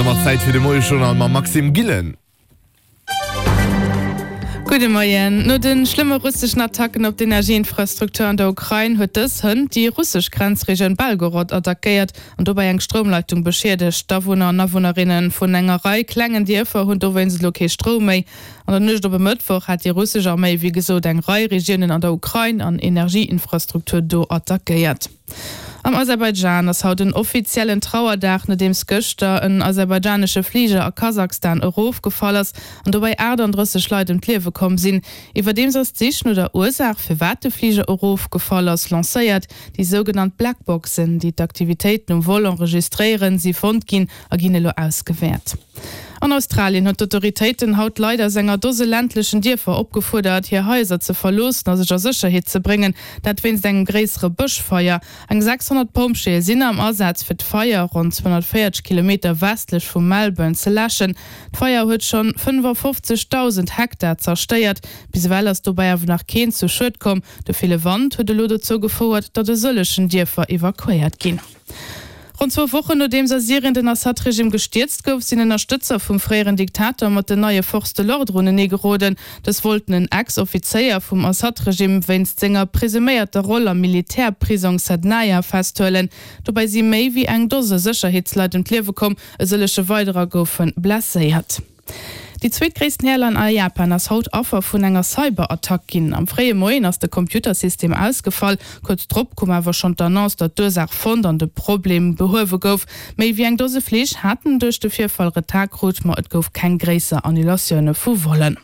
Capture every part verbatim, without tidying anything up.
domat Zäit fir de Moiejournal mam Maxime Gillen. Gudde Moien. No de schlëmme russeschen Attacken op d'Energieinfrastruktur an der Ukrain huet dës hënt déi russesch Grenzregioun Belgorod attackéiert an dobäi eng Stroumleitung beschiedegt. D'Awunner an Awunnerinne vun enger Rei klengen Dierfer hunn dowéinst elo kee Stroum méi. An der Nuecht op e Mëttwoch hat déi russesch Arméi wéi gesot eng Rei Regiounen an der Ukrain an Energieinfrastruktur do attackéiert. Am Aserbaidschan ass haut en offiziellen Trauerdag, nodeems gëschter en aserbaidschanesche Fliger a Kasachstan erofgefall ass an dobäi aachtanddrësseg Leit ëm d'Liewe komm sinn. Iwwerdeems ass d'Sich no der Ursaach, firwat de Fliger erofgefall ass, lancéiert. Déi sougenannt Blackboxen, déi d'Aktivitéiten um Vol enregistréieren, si fonnt ginn a ginn elo ausgewäert. An Australien huet d'Autoritéiten haut d'Leit aus enger Dose ländlechen Dierfer opgefuerdert, hir Haiser ze verloossen a sech a Sécherheet ze bréngen, dat wéinst engem gréissere Bëschfeier. Eng sechshonnert Pompjeeë sinn am Asaz, fir d'Feier ronn zweehonnertvéierzeg Kilometer westlech vu Melbourne ze läschen. D'Feier huet schonn fënnefofzegdausend Hektar zerstéiert. Bis ewell ass dobäi awer nach keen zu Schued komm. De ville Wand huet elo dozou gefouert, datt e sëllegen Dierfer evakuéiert ginn. Ronn zwou Wochen nodeems a Syrien den Assad-Regime gestierzt gouf, sinn Ënnerstëtzer vum fréieren Diktator mat den neie Forces de l'ordre unenee geroden. Dës wollten en Ex-Offizéier vum Assad-Regime wéinst senger presuméierter Roll am Militärprisong Sednaya festhuelen. Dobäi si méi wéi eng Dose Sécherheetsleit ëm d'Liewe komm, e sëllege weiderer goufe blesséiert. Déi zweetgréissten Airline a Japan ass haut Affer vun enger Cyberattack ginn. Am fréie Moien ass de Computersystem ausgefall. Kuerz drop koum awer schonn d'Annonce, datt d'Ursaach fonnt an de Problem behuewe gouf. Méi wéi eng Dose Flich haten duerch de Virfall Retard krut, ma et gouf keng gréisser Annulatioune vu Vollen.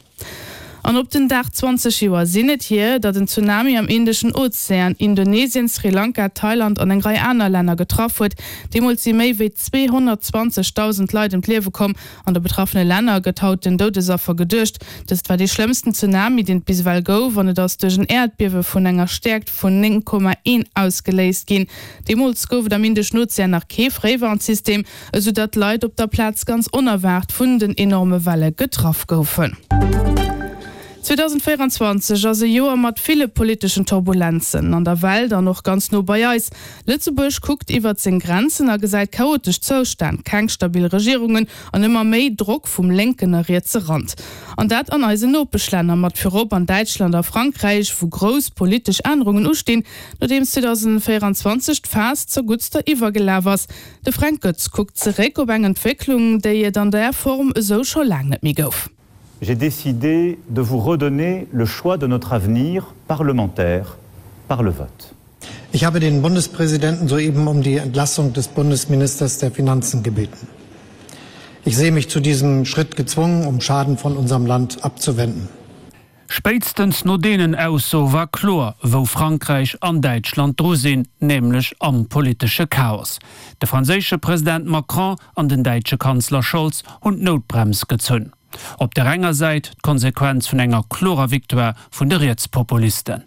An op den Dag zwanzeg Joer sinn et hier, datt en Tsunami am Indeschen Ozean Indonesien, Sri Lanka, Thailand an eng Rei aner Länner getraff huet. Deemools si méi wéi zweehonnertzwanzegdausend Leit ëm d'Liewe komm. An de betraffene Länner gëtt haut den Doudesaffer geduecht. Dëst war dee schlëmmsten Tsunami, deen et bis ewell gouf, an et ass duerch en Äerdbiewe vun enger Stäerkt vun néng Komma een ausgeléist ginn. Deemools gouf et am Indeschen Ozean nach kee Fréiwarnsystem, esou datt d'Leit op der Plaz ganz onerwaart vun den enorme Welle getraff goufen. zweedausendvéieranzwanzeg ass e Joer mat ville politeschen Turbulenzen an der Welt an och ganz no bei eis. Lëtzebuerg kuckt iwwert seng Grenzen a gesäit chaotesch Zoustänn, keng stabil Regierungen an ëmmer méi Drock vum lénken a rietse Rand. An dat an eisen Nopeschlänner, mat virop an Däitschland a Frankräich, wou grouss politesch Ännerungen ustinn, nodeems zweedausendvéieranzwanzeg d'Faass zerguttster iwwergelaf ass. De Fränk Goetz kuckt zeréck op eng Entwécklung, déi et an där Form esou scho laang net méi gouf. J'ai décidé de vous redonner le choix de notre avenir parlementaire par le vote. Ich habe den Bundespräsidenten soeben um die Entlassung des Bundesministers der Finanzen gebeten. Ich sehe mich zu diesem Schritt gezwungen, um Schaden von unserem Land abzuwenden. Spéitstens no deenen Aussoe war kloer, wou Frankräich an Däitschland dru sinn, nämlech am politesche Chaos. De franséische President Macron an den däitsche Kanzler Scholz hunn d'Noutbrems gezunn. Op der enger Säit d'Konsequenz vun enger klorer Victoire vun de Rietspopulisten.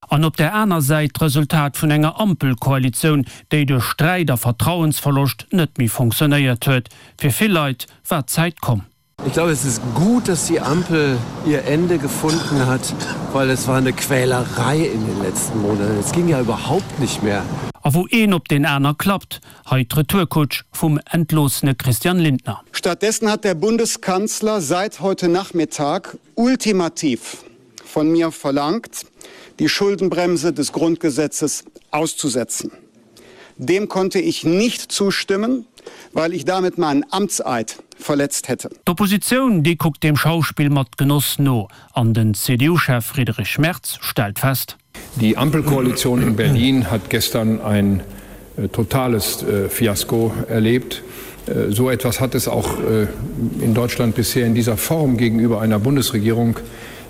An op der aner Säit d'Resultat vun enger Ampelkoalitioun, déi duerch Sträit a Vertrauensverloscht net méi funktionéiert huet. Fir vill Leit war d'Zäit komm. Ich glaube, es ist gut, dass die Ampel ihr Ende gefunden hat, weil es war eine Quälerei in den letzten Monaten. Es ging ja überhaupt nicht mehr. A wou een op deen aner klappt, hei d'Retourkutsch vum entloossene Christian Lindner. Stattdessen hat der Bundeskanzler seit heute Nachmittag ultimativ von mir verlangt, die Schuldenbremse des Grundgesetzes auszusetzen. Dem konnte ich nicht zustimmen, weil ich damit meinen Amtseid verletzt hätte. D'Oppositioun, déi kuckt deem Schauspill mat Genoss no. An den C D U-Chef Friedrich Merz stellt fest: Die Ampelkoalition in Berlin hat gestern ein totales Fiasko erlebt. So etwas hat es auch in Deutschland bisher in dieser Form gegenüber einer Bundesregierung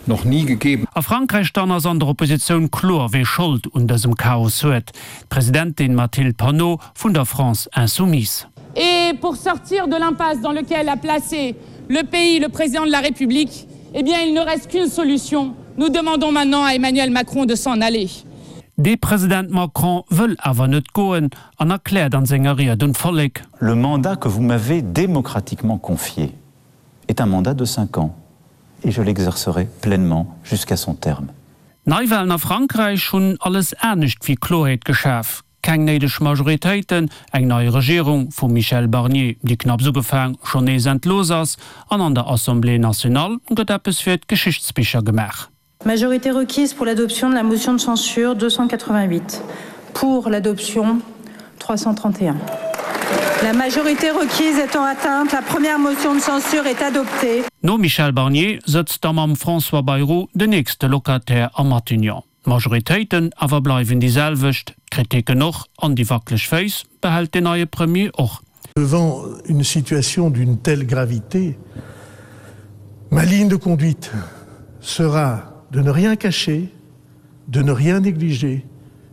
noch nie gegeben. A Frankräich dann ass an der Oppositioun kloer, wee Schold un dësem Chaos huet, d'Presidentin Mathilde Panot vun der France Insoumise. Et pour sortir de l'impasse dans lequel a placé le pays le président de la République, eh bien il ne reste qu'une solution, nous demandons maintenant à Emmanuel Macron de s'en aller. De President Macron wëll awer net goen an erkläert an senger Ried un d'Vollek: Le mandat que vous m'avez démocratiquement confié est un mandat de cinq ans et je l'exercerai pleinement jusqu'à son terme. D'Neiwalen a Frankräich hunn alles anescht wéi Kloerheet geschaf. Keng néideg Majoritéiten, eng nei Regierung vum Michel Barnier, déi knapps ugefaang, schonn nees entlooss ass, an an der Assemblée nationale gëtt eppes fir d'Geschichtsbicher gemaach. Majorité requise pour l'adoption de la motion de censure, deux cent quatre-vingt-huit. Pour l'adoption, trois cent trente et un. La majorité requise étant atteinte, la première motion de censure est adoptée. Nom Michel Barnier sëtzt da mam François Bayrou den nächste Locataire am Matignon. D'Majoritéiten awer bleiwen déi selwecht, d'Kritiken och, an déi wackeleg Féiss behält den neie Premier och. Devant une situation d'une telle gravité, ma ligne de conduite sera de ne rien cacher, de ne rien négliger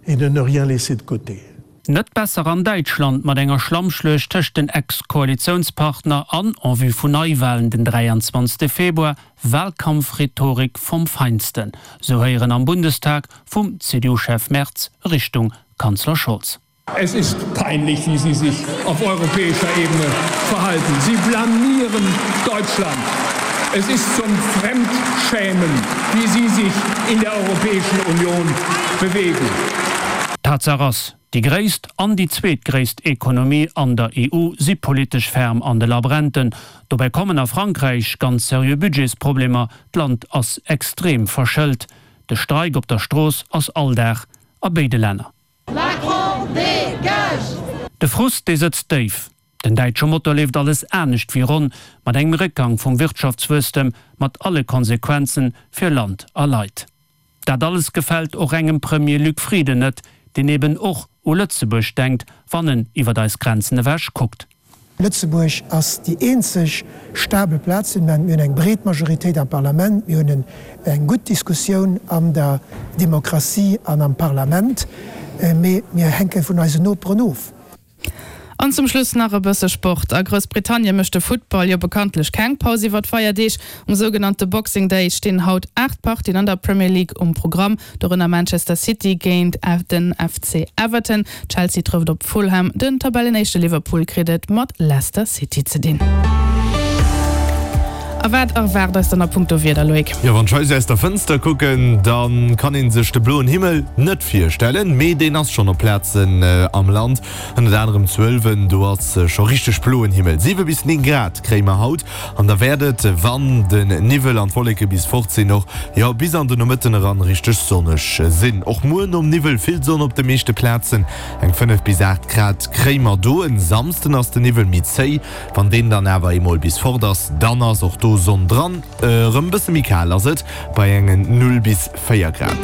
et de ne rien laisser de côté. Net besser an Däitschland mat enger Schlammschluecht tëscht den Ex-Koalitiounspartner an, en vue vun Neiwalen den dräianzwanzegste Februar, Walkampfrhetorik vom Feinsten, sou héieren am Bundestag vum C D U-Chef Merz Richtung Kanzler Scholz. Es ist peinlich, wie Sie sich auf europäischer Ebene verhalten. Sie blamieren Deutschland. Es ist zum Fremdschämen, wie Sie sich in der Europäischen Union bewegen. Tatsaach ass, déi gréisst an déi zweetgréisst Ekonomie an der E U si politesch ferm an de Labrenten. Dobäi kommen a Frankräich ganz seriö Budgetsproblemer, d'Land ass extrem verschëlt. De Streik op der Strooss ass Alldag a béide Länner. Macron dégage! De Frust, dee sëtzt déif. Den däitsche Motor leeft alles anescht wéi ronn, mat engem Réckgang vum Wirtschaftswuesstem, mat alle Konsequenzen fir Land a Leit. Dat alles gefält och engem Premier Luc Frieden net, deen eben och u Lëtzebuerg denkt, wann en iwwer eis Grenzen ewech kuckt. Lëtzebuerg ass déi eenzeg stabel Plaz. Mir hunn eng breet Majoritéit am Parlament, mir hunn eng gutt Diskussioun an der Demokratie an am Parlament, mee mir hänke vun eisen Noperen of. An zum Schluss nach e bësse Sport. A Groussbritannie mécht de Futtball jo bekanntlech keng Paus iwwer d'Feierdeeg. Um sougenannte Boxing Day stinn haut aacht Partien an der Premier League um Programm, dorënner Manchester City géint den F C Everton. Chelsea trëfft op Fulham, den Tabellenéischte Liverpool kritt et mat Leicester City ze dinn. A wat erwaart eis dann a punkto Wieder, Loïc? Jo, wann ech hei aus der Fënster kucken, da kann ee sech de bloen Himmel net virstellen, mee deen ass schonn op Plazen am Land, ënnert anerem zu Ëlwen, do ass scho richteg bloen Himmel. Siwe bis néng Grad kréie mer haut an da wäert et, wann den Niwwel an d'Wolleke bis fort sinn, och, jo, bis an den Nomëtten eran richteg sonneg sinn. Och muer nom Niwwel vill Sonn op de meeschte Plazen, eng fënnef bis aacht Grad kréie mer do. En Samsden ass den Niwwel méi zéi, wann deen dann awer eemol bis fort ass, dann ass och do Sonn dran. Erëm bësse méi kal ass et bei engen null bis véier Grad.